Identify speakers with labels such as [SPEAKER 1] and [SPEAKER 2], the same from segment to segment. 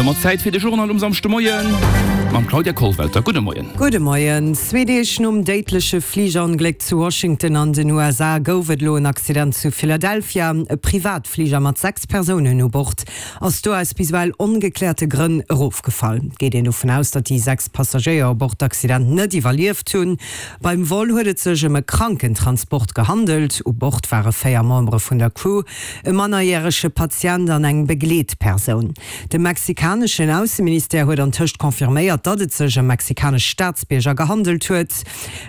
[SPEAKER 1] domat Zäit fir de Journal um Samschdemoien mam Claudia Kollwelter. Gudde Moien.
[SPEAKER 2] Gudde Moien. Zwee Deeg nom déidleche Fligerongléck zu Washington an den USA gouf et elo en Accident zu Philadelphia. E Privatfliger mat 6 Persounen u Bord ass do aus bis ewell ongekläerte Grënn erofgefall. Et geet een dovun aus, datt déi 6 Passagéier u Bord d'Accident net iwwerlieft hunn. Beim Vol huet et sech ëm e Krankentransport gehandelt. U Bord ware 4 Membere vun der Crew. E mannerjärege Patient an eng Begleetpersoun. De mexikaneschen Ausseministère huet antëscht confirméiert, datt et sech ëm mexikanesch Staatsbierger gehandelt huet.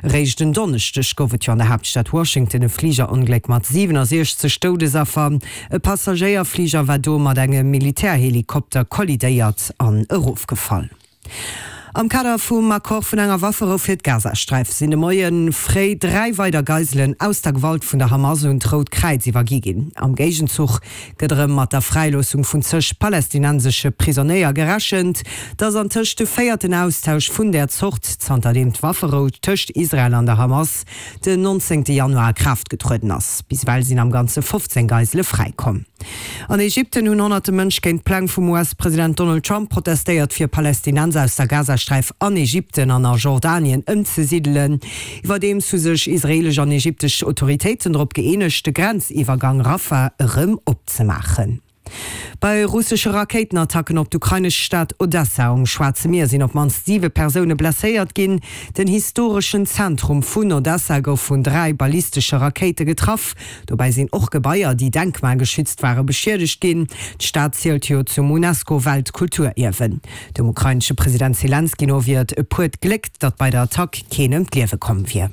[SPEAKER 2] Eréischt en Donneschdeg gouf et jo an der Haaptstad Washington e Fligerongléck mat 67 Doudesaffer. E Passagéierfliger war do mat engem Militärhelikopter kollidéiert an erofgefall. Am Kader vum Accord vun enger Wafferou fir d'Gazasträif sinn de Moie fréi 3 weider Geiselen aus der Gewalt vun der Hamas un d'Rout Kräiz iwwergi ginn. Am Géigenzuch gëtt erëm mat der Fräiloossung vun zeg palästinensesche Prisonéier gerechent. Et ass antëscht de véierten Austausch vun där Zort, zanterdeem d'Wafferou tëscht Israel an der Hamas den 19 Januar a Kraaft getrueden ass. Bis ewell sinn am Ganze 15 Geisele fräikomm. An Ägypten hunn honnerte Mënsch géint d'Pläng vum US-President Donald Trump protestéiert, fir Palästinenser aus der Gazasträif an Ägypten an a Jordanien ëmzesidelen. Iwwerdeems hu sech israeelesch an ägyptesch Autoritéiten drop gëeenegt, de Grenziwwergang Rafah erëm opzemaachen. Bei russesche Rakéitenattacken op d'ukrainesch Stad Odessa um Schwaarze Mier sinn op d'mannst siwe Persoune blesséiert ginn. Den historeschen Zentrum vun Odessa gouf vun 3 ballistesche Rakéite getraff. Dobäi sinn och Gebaier, déi denkmalgeschützt ware beschiedegt ginn. D'Stad zielt jo zum UNESCO-Weltkulturierwen. Dem ukrainesche President Selenskyj no wier et e puert Gléck, datt bei der Attack keen ëm d'Liewe komm wier.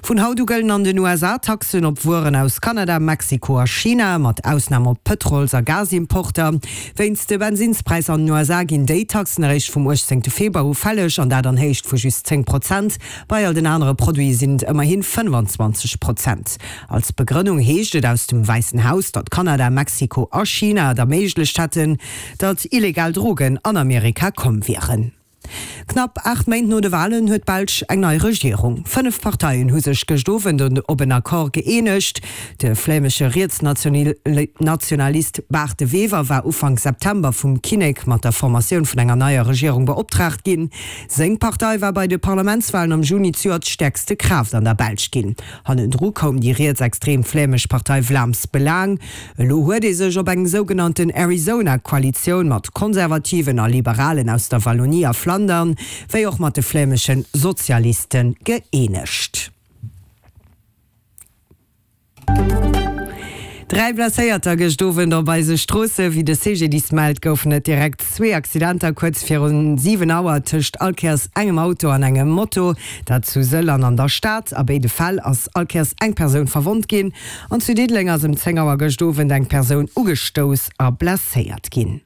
[SPEAKER 2] Vun haut u gëllen an den USA Taxen op Wueren aus Kanada, Mexiko a China, mat Ausnam op Pëtrols a Gasimporter. Wéinst de Bensinnspräisser an den USA ginn déi Taxen eréischt vum 18 Februar u fälleg, an dat an Héicht vu just 10 Prozent. Bei all den anere Produite sinn et ëmmerhi 25 Prozent. Als Begrënnung heescht et aus dem Wäissen Haus, datt Kanada, Mexiko a China et erméiglecht hätten, datt illegal Drogen an Amerika komm wieren. Knapp 8 Méint no de Walen huet d'Belsch eng nei Regierung. 5 Parteien hu sech gëscht Owend op en Accord gëeenegt. De flämesche Rietsnationalist Bart De Wever war Ufank September vum Kinnek mat der Formatioun vun enger neier Regierung beoptraagt ginn. Seng Partei war bei de Parlamentswalen am Juni zejoert stäerkste Kraaft an der Belsch ginn. Hannendru koum déi rietsextrem flämesch Partei Vlaams Belang. Elo huet ee sech op eng sougenannten Arizona-Koalitioun mat Konservativen a Liberalen aus der Wallonie a Flandern, wéi och mat de flämesche Sozialiste gëeenegt. Dräi Blesséierter gëscht Owend op eise Stroosse. Wéi de CGDIS mellt, goufen et direkt zwee Accidenter kuerz virun 7 Auer tëscht allkéiers engem Auto an engem Moto, dat zu Sëll an an der Stad. A béide Fäll ass allkéiers eng Persoun verwonnt ginn. An zu Diddeleng ass ëm 10 Auer gëscht Owend eng Persoun ugestouss a blesséiert ginn.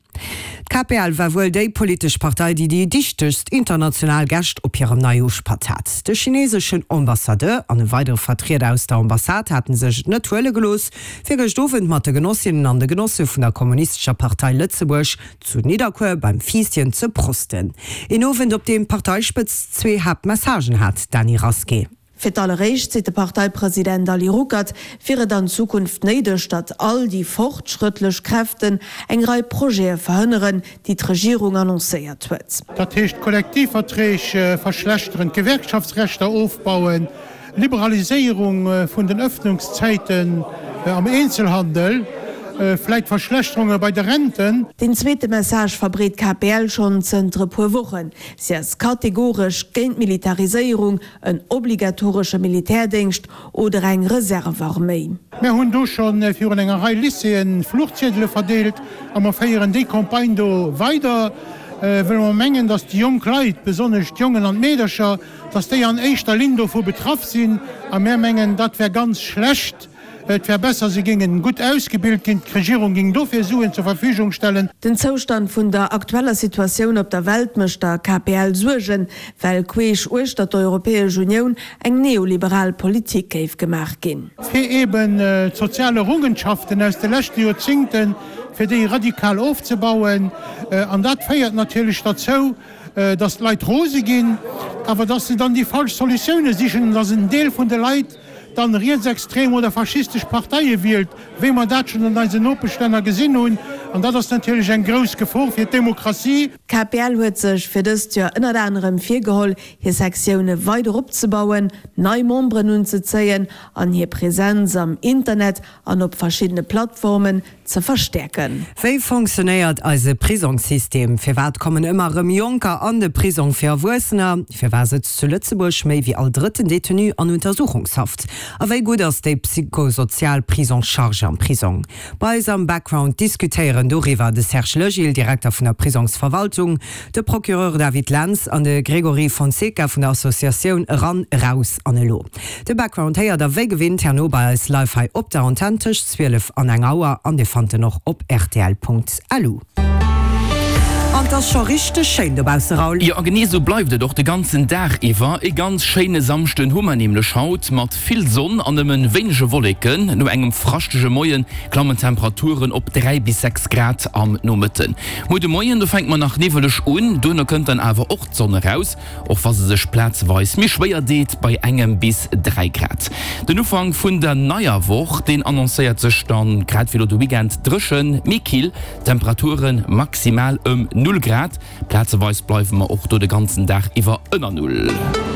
[SPEAKER 2] D'KPL war wuel déi politesch Partei, déi déi dichtegst international Gäscht op hirem Neijooschpatt hat. De chineseschen Ambassadeur an e weidere Vertrieder aus der Ambassade haten sech et net huele gelooss, fir gëscht Owend mat de Genossinnen an de Genosse vun der Kommunistescher Partei Lëtzebuerg zu Nidderkuer beim Fiisschen ze prosten. Een Owend, op deem d'Parteispëtzt zwee Haaptmessagen hat, Dany Rasqué.
[SPEAKER 3] Fir d'alleréischt, seet de Parteipresident Ali Ruckert, wier et an Zukunft néideg, datt all déi fortschrëttlech Kräften eng Rei Projete verhënneren, déi d'Regierung annoncéiert huet.
[SPEAKER 4] Dat heescht d'Kollektivverträg verschlechteren, d'Gewerkschaftsrechter ofbauen, Liberaliséierung vun den Ëffnungszäiten am Eenzelhandel, vläit Verschlechterunge bei de Renten.
[SPEAKER 3] Deen zweete Message verbreet d'KPL schonn zënter e puer Wochen. Si ass kategoresch géint d'Militariséierung, en obligatoresche Militärdéngscht oder eng Reservearméi.
[SPEAKER 4] Mär hunn do scho virun enger Rei Lycéeën Fluchziedele verdeelt a mer féieren déi Campagne do weider, wëll mer mengen, dass déi jonk Leit, besonnesch d'Jongen an d'Meedercher, dass déi an éischter Linn dovu betraff sinn. A mär mengen, dat wär ganz schlecht. Et wär besser, se géingen gutt ausgebilt ginn, d'Regierung géing dofir Suen zur Verfügung stellen.
[SPEAKER 3] Den Zoustand vun der aktueller Situatioun op der Welt mécht der KPL Suergen, well queesch uechter d'Europäesch Unioun eng neoliberal Politik géif gemaach ginn.
[SPEAKER 4] Fir eben d'sozial Errungenschaften aus de leschte Joerzingten, fir déi radikal ofzebauen. An dat féiert natierlech derzou, dass d'Leit rose ginn, awer dass se dann déi falsch Solutioune sichen an dass en Deel vun de Leit dann rietsextrem oder faschistesch Parteie wielt, wéi mer dat schonn an eisen Nopeschlänner gesinn hunn. An dat ass natierlech eng grouss Gefor fir d'Demokratie.
[SPEAKER 3] D'KPL huet sech fir dëst Joer ënnert anerem virgeholl, hir Sektioune weider opzebauen, nei Memberen unzezéien an hir Presenz am Internet an op verschiddene Plattformen ze verstäerken.
[SPEAKER 2] Wéi fonctionnéiert eise Prisongssystem? Firwat kommen ëmmer erëm Jonker an de Prisong fir Erwuessener? Firwat sëtzt zu Lëtzebuerg méi wéi all drëtten Detenu an Untersuchungshaft? A wéi gutt ass déi psychosozial Prise en charge am Prisong? Bei eis am Background diskutéieren doriwwer de Serge Legil, Direkter vun der Prisongsverwaltung, de Procureur David Lentz an de Grégory Fonseca vun der Associatioun Eran, Eraus an Elo. De Background héiert der wéi gewinnt herno bei eis live hei op der Antenn tëscht 12 an eng Auer an dir fannt en och op rtl.lu. An 't ass scho richteg schéin dobausse Raoul.
[SPEAKER 1] Jo a genee sou bleift et och de ganzen Dag iwwer. E ganz schéine Samschden hu mer nämlech haut, mat vill Sonn an nëmmen wéinege Wolleken. No engem fraschtege Moie klammen d'Temperaturen op 3 bis 6 Grad am Nomëtten. Muer de Moien do fänke mer nach niwweleg un, duerno kënnt dann awer och d'Sonn eraus. Och wa se sech plazeweis méi schwéier deet, bei engem bis 3 Grad. Den Ufank vun der neier Woch, deen annoncéiert sech dann, grad wéi elo de Weekend, dréchen, mee kill, Temperature maximal ëm Null Grad. Plazeweis bleiwe mer och do de ganzen Dag iwwer ënner Null.